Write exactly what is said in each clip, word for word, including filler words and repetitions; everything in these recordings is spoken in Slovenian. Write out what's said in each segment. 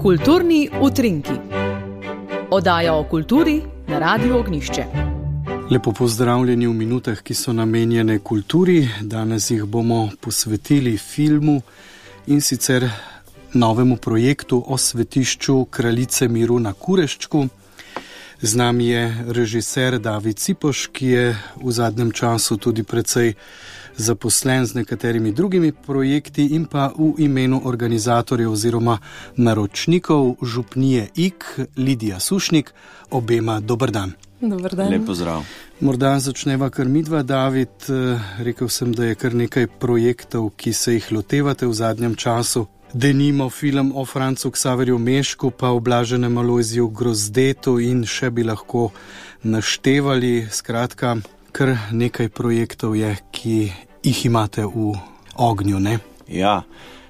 Kulturni utrinki. Oddaja o kulturi na Radiu Ognjišče. Lepo pozdravljeni v minutah, ki so namenjene kulturi. Danes jih bomo posvetili filmu in sicer novemu projektu o svetišču Kraljice miru na Kureščku. Z nami je režiser David Cipoš, ki je v zadnjem času tudi precej zaposlen z nekaterimi drugimi projekti, in pa v imenu organizatorjev oziroma naročnikov župnije Ig, Lidija Sušnik, obema dober dan. Dober dan. Lep pozdrav. Morda začneva kar midva, David. Rekel sem, da je kar nekaj projektov, ki se jih lotevate v zadnjem času. Denimo film o Francu Ksaverju Mešku, pa o Blaženem Alojziju Grozdetu in še bi lahko naštevali. Skratka, kar nekaj projektov je, ki jih imate v ognju, ne? Ja,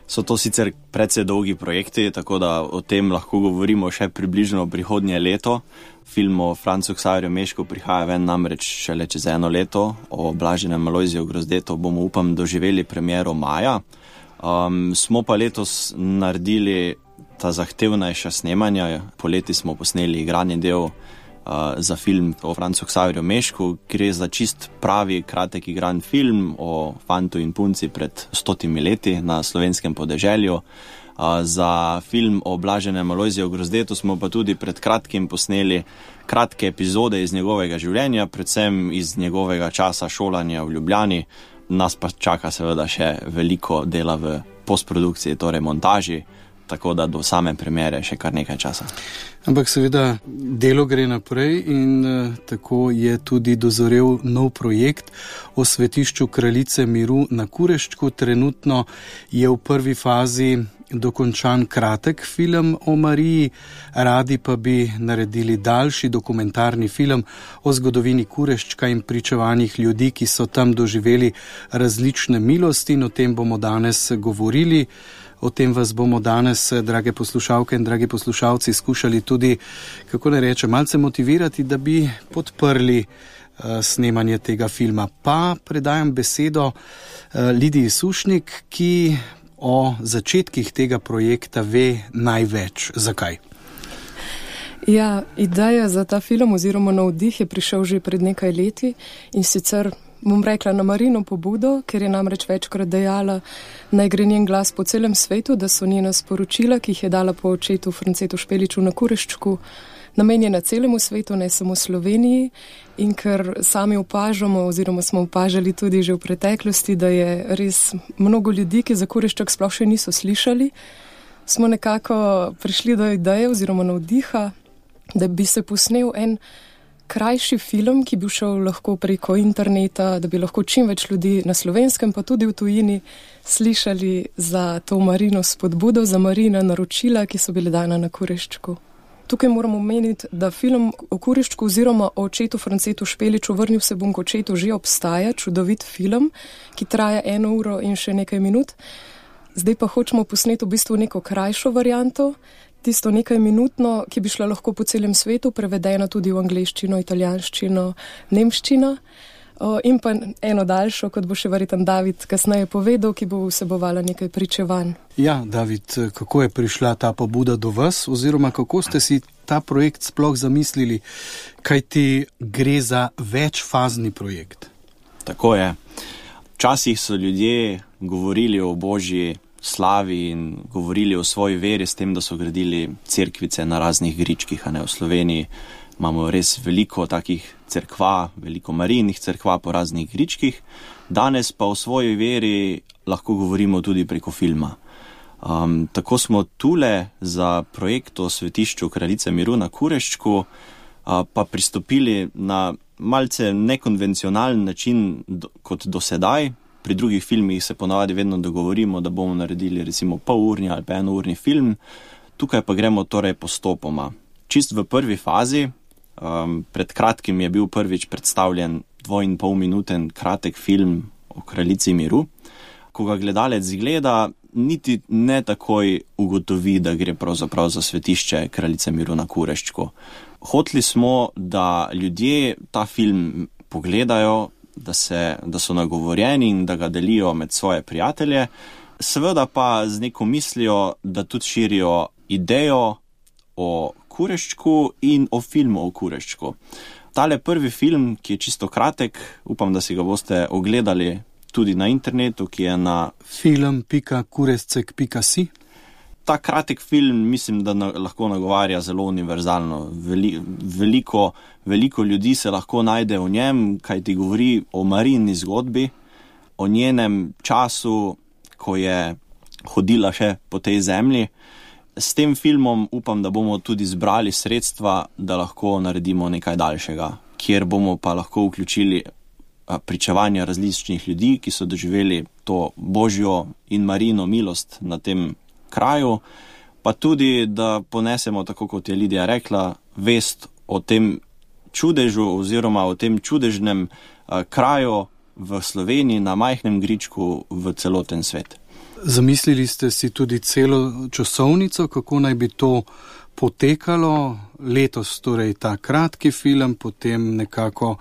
so to sicer precej dolgi projekti, tako da o tem lahko govorimo še približno prihodnje leto. Film o Francu Ksaverju Mešku prihaja ven namreč šele čez eno leto. O Blaženem Alojziju Grozdetu bomo, upam, doživeli premiero maja. Um, smo pa letos naredili ta zahtevnejša snemanja. Poleti smo posneli igrani del uh, za film o Francu Ksaverju Mešku. Gre za čist pravi, kratek igran film o fantu in punci pred stotimi leti na slovenskem podeželju. Uh, za film o Blaženem Alojziju Grozdetu smo pa tudi pred kratkim posneli kratke epizode iz njegovega življenja, predvsem iz njegovega časa šolanja v Ljubljani. Nas pa čaka seveda še veliko dela v postprodukciji, torej montaži, tako da do same premiere še kar nekaj časa. Ampak seveda delo gre naprej in uh, tako je tudi dozorel nov projekt o svetišču Kraljice miru na Kureščku. Trenutno je v prvi fazi dokončan kratek film o Mariji, radi pa bi naredili daljši dokumentarni film o zgodovini Kureščka in pričevanjih ljudi, ki so tam doživeli različne milosti, in o tem bomo danes govorili. O tem vas bomo danes, drage poslušalke in dragi poslušalci, skušali tudi, kako ne reče, malce motivirati, da bi podprli uh, snemanje tega filma. Pa predajam besedo uh, Lidiji Sušnik, ki o začetkih tega projekta ve največ. Zakaj? Ja, ideja za ta film oziroma navdih je prišel že pred nekaj leti, in sicer bom rekla na Marino pobudo, ker je namreč večkrat dejala, naj gre njen glas po celem svetu, da so njena sporočila, ki jih je dala po očetu Francetu Špeliču na Kureščku, namenjena celemu svetu, ne samo Sloveniji, in ker sami opažamo oziroma smo opažali tudi že v preteklosti, da je res mnogo ljudi, ki za Kurešček sploh še niso slišali, smo nekako prišli do ideje oziroma navdiha, da bi se posnel en krajši film, ki bi šel lahko preko interneta, da bi lahko čim več ljudi na Slovenskem, pa tudi v tujini, slišali za to Marino spodbudo, za Marina naročila, ki so bile dana na Kureščku. Tukaj moramo omeniti, da film o Kureščku oziroma o očetu Francetu Špeliču Vrnil se bom k očetu že obstaja, čudovit film, ki traja eno uro in še nekaj minut. Zdaj pa hočemo posneti v bistvu neko krajšo varianto, tisto nekaj minutno, ki bi šla lahko po celem svetu, prevedena tudi v angleščino, italijanščino, nemščino, in pa eno daljšo, kot bo še verjetno David kasneje povedal, ki bo vsebovala nekaj pričevanj. Ja, David, kako je prišla ta pobuda do vas, oziroma kako ste si ta projekt sploh zamislili, kajti gre za večfazni projekt? Tako je. Včasih so ljudje govorili o božji slavi in govorili o svoji veri s tem, da so gradili cerkvice na raznih gričkih, a ne v Sloveniji. Imamo res veliko takih cerkva, veliko marijnih cerkva po raznih gričkih. Danes pa o svoji veri lahko govorimo tudi preko filma. Um, tako smo tule za projekt o svetišču Kraljice miru na Kureščku uh, pa pristopili na malce nekonvencionalen način do, kot do sedaj. Pri drugih filmih se ponavadi vedno dogovorimo, da bomo naredili recimo polurni ali pa enourni film. Tukaj pa gremo torej postopoma. Čist v prvi fazi, um, pred kratkim je bil prvič predstavljen dvo in pol minuten kratek film o Kraljici miru. Ko ga gledalec gleda, niti ne takoj ugotovi, da gre pravzaprav za svetišče Kraljice miru na Kureščku. Hoteli smo, da ljudje ta film pogledajo, da, se, da so nagovorjeni in da ga delijo med svoje prijatelje, seveda pa z neko mislijo, da tudi širijo idejo o Kureščku in o filmu o Kureščku. Tale prvi film, ki je čisto kratek, upam, da si ga boste ogledali tudi na internetu, ki je na film pika kurescek pika si. Ta kratek film mislim, da na, lahko nagovarja zelo univerzalno. Veli, veliko, veliko ljudi se lahko najde v njem, kaj ti govori o Marini zgodbi, o njenem času, ko je hodila še po tej zemlji. S tem filmom upam, da bomo tudi zbrali sredstva, da lahko naredimo nekaj daljšega, kjer bomo pa lahko vključili pričevanja različnih ljudi, ki so doživeli to Božjo in Marino milost na tem kraju, pa tudi, da ponesemo, tako kot je Lidija rekla, vest o tem čudežu oziroma o tem čudežnem uh, kraju v Sloveniji, na majhnem gričku v celoten svet. Zamislili ste si tudi celo časovnico, kako naj bi to potekalo letos, torej ta kratki film, potem nekako,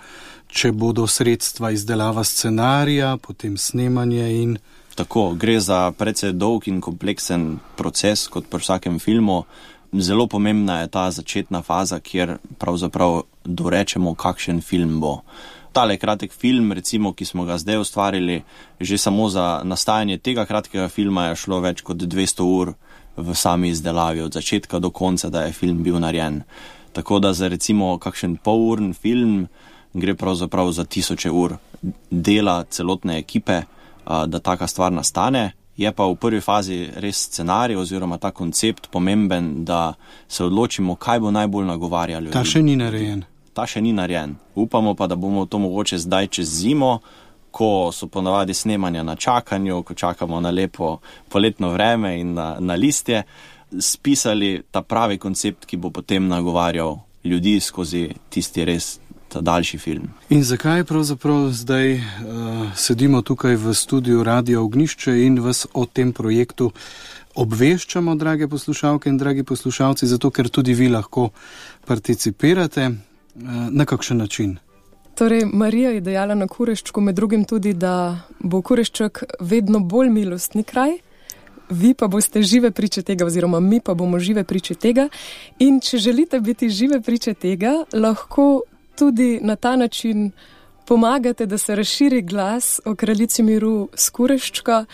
če bodo sredstva izdelava scenarija, potem snemanje in... Tako, gre za precej dolg in kompleksen proces, kot pri vsakem filmu. Zelo pomembna je ta začetna faza, kjer pravzaprav dorečemo, kakšen film bo. Tale kratek film, recimo, ki smo ga zdaj ustvarili, že samo za nastajanje tega kratkega filma je šlo več kot dvesto ur v sami izdelavi, od začetka do konca, da je film bil narejen. Tako da za recimo kakšen polurn film gre pravzaprav za tisoče ur dela celotne ekipe, da taka stvar nastane. Je pa v prvi fazi res scenarij oziroma ta koncept pomemben, da se odločimo, kaj bo najbolj nagovarjalo. Ta še ni narejen. Ta še ni narejen. Upamo pa, da bomo to mogoče zdaj čez zimo, ko so ponavadi snemanja na čakanju, ko čakamo na lepo poletno vreme in na, na listje, spisali ta pravi koncept, ki bo potem nagovarjal ljudi skozi tisti res ta daljši film. In zakaj pravzaprav zdaj uh, sedimo tukaj v studiu Radia Ognjišče in vas o tem projektu obveščamo, drage poslušalke in dragi poslušalci, zato ker tudi vi lahko participirate. Uh, na kakšen način? Torej, Marija je dejala na Kureščku med drugim tudi, da bo Kurešček vedno bolj milostni kraj, vi pa boste žive priče tega, oziroma mi pa bomo žive priče tega. In če želite biti žive priče tega, lahko tudi na ta način pomagate, da se razširi glas o kraljici miru s Kureščka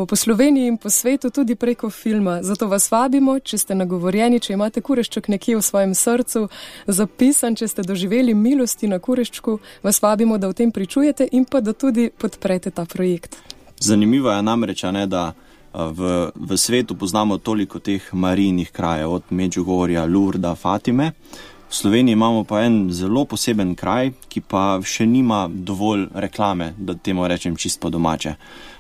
po Sloveniji in po svetu tudi preko filma. Zato vas vabimo, če ste nagovorjeni, če imate Kurešček nekje v svojem srcu zapisan, če ste doživeli milosti na Kureščku, vas vabimo, da o tem pričujete in pa da tudi podprete ta projekt. Zanimivo je namreč, ne, da v, v svetu poznamo toliko teh marijnih krajev, od Medžugorja, Lurda, Fatime. V Sloveniji imamo pa en zelo poseben kraj, ki pa še nima dovolj reklame, da temu rečem čisto po domače.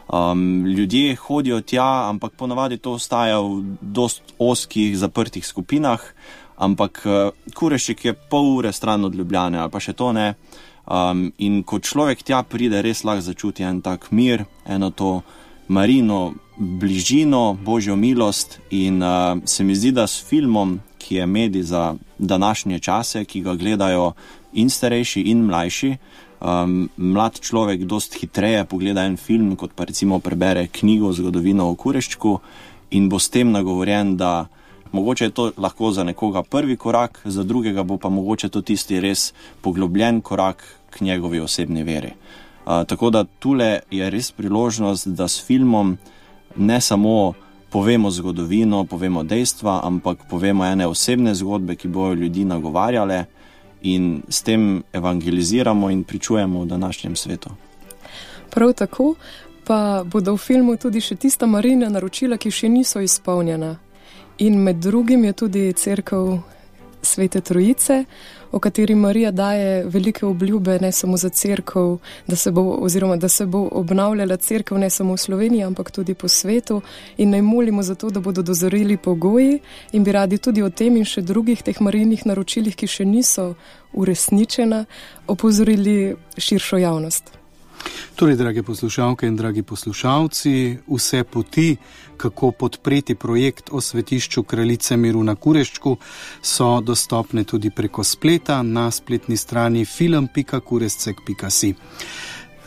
Um, ljudje hodijo tja, ampak ponavadi to ostaja v dost ozkih, zaprtih skupinah, ampak uh, Kurešček je pol ure stran od Ljubljane, ali pa še to ne. Um, in ko človek tja pride, res lahko začuti en tak mir, eno to Marino bližino, Božjo milost in uh, se mi zdi, da s filmom, ki je medij za današnje čase, ki ga gledajo in starejši in mlajši, um, mlad človek dost hitreje pogleda en film, kot pa recimo prebere knjigo Zgodovino o Kureščku in bo s tem nagovorjen, da mogoče je to lahko za nekoga prvi korak, za drugega bo pa mogoče to tisti res poglobljen korak k njegovi osebni veri. Uh, tako da tule je res priložnost, da s filmom ne samo povemo zgodovino, povemo dejstva, ampak povemo ene osebne zgodbe, ki bojo ljudi nagovarjale in s tem evangeliziramo in pričujemo v današnjem svetu. Prav tako pa bodo v filmu tudi še tista Marijina naročila, ki še niso izpolnjena. In med drugim je tudi cerkev Svete Trojice, o kateri Marija daje velike obljube ne samo za cerkev, da se bo, oziroma da se bo obnavljala cerkev ne samo v Sloveniji, ampak tudi po svetu in naj molimo za to, da bodo dozoreli pogoji in bi radi tudi o tem in še drugih teh Marijinih naročilih, ki še niso uresničena, opozorili širšo javnost. Torej, drage poslušalke in dragi poslušalci, vse poti, kako podpreti projekt o svetišču Kraljice miru na Kureščku, so dostopne tudi preko spleta na spletni strani film pika kurescek pika si.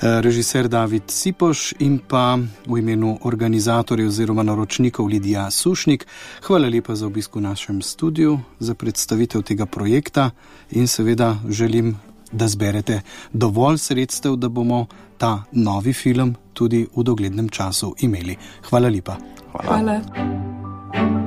režiser David Sipoš in pa v imenu organizatorjev oziroma naročnikov Lidija Sušnik. Hvala lepa za obisk v našem studiu, za predstavitev tega projekta in seveda želim, da zberete dovolj sredstev, da bomo ta novi film tudi v doglednem času imeli. Hvala lepa. Hvala. Hvala.